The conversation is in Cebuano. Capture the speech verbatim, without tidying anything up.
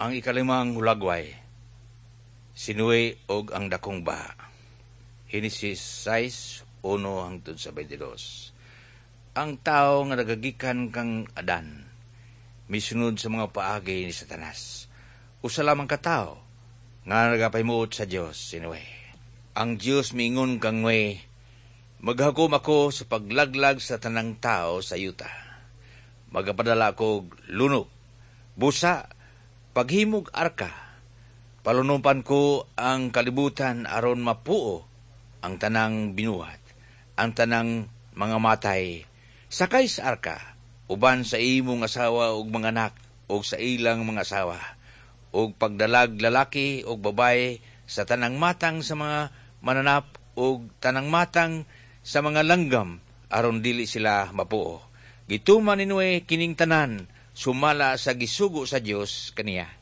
Ang ikalimang hulagway, si Noe og ang dakong baha. Henesis sais, uno hangtod sa beinte dos. Ang tao nga nagagikan kang Adan, misunod sa mga paagi ni Satanas. Usa lamang ka tawo nga nagapahimuot sa Dios, si Noe. Ang Dios miingon kang Noe, "Maghakom ako sa paglaglag sa tanang tao sa yuta. Magapadala ko lunok, busa, paghimog arka. Palunupan ko ang kalibutan aron mapuo ang tanang binuhat, ang tanang mga matay. Sakay sa arka, uban sa imong asawa ug mga anak ug sa ilang mga asawa, ug pagdalag lalaki ug babaye sa tanang matang sa mga mananap ug tanang matang sa mga langgam aron dili sila mapuo." Gituman ni Noe kining tanan sumala sa gisugo sa Dios kaniya.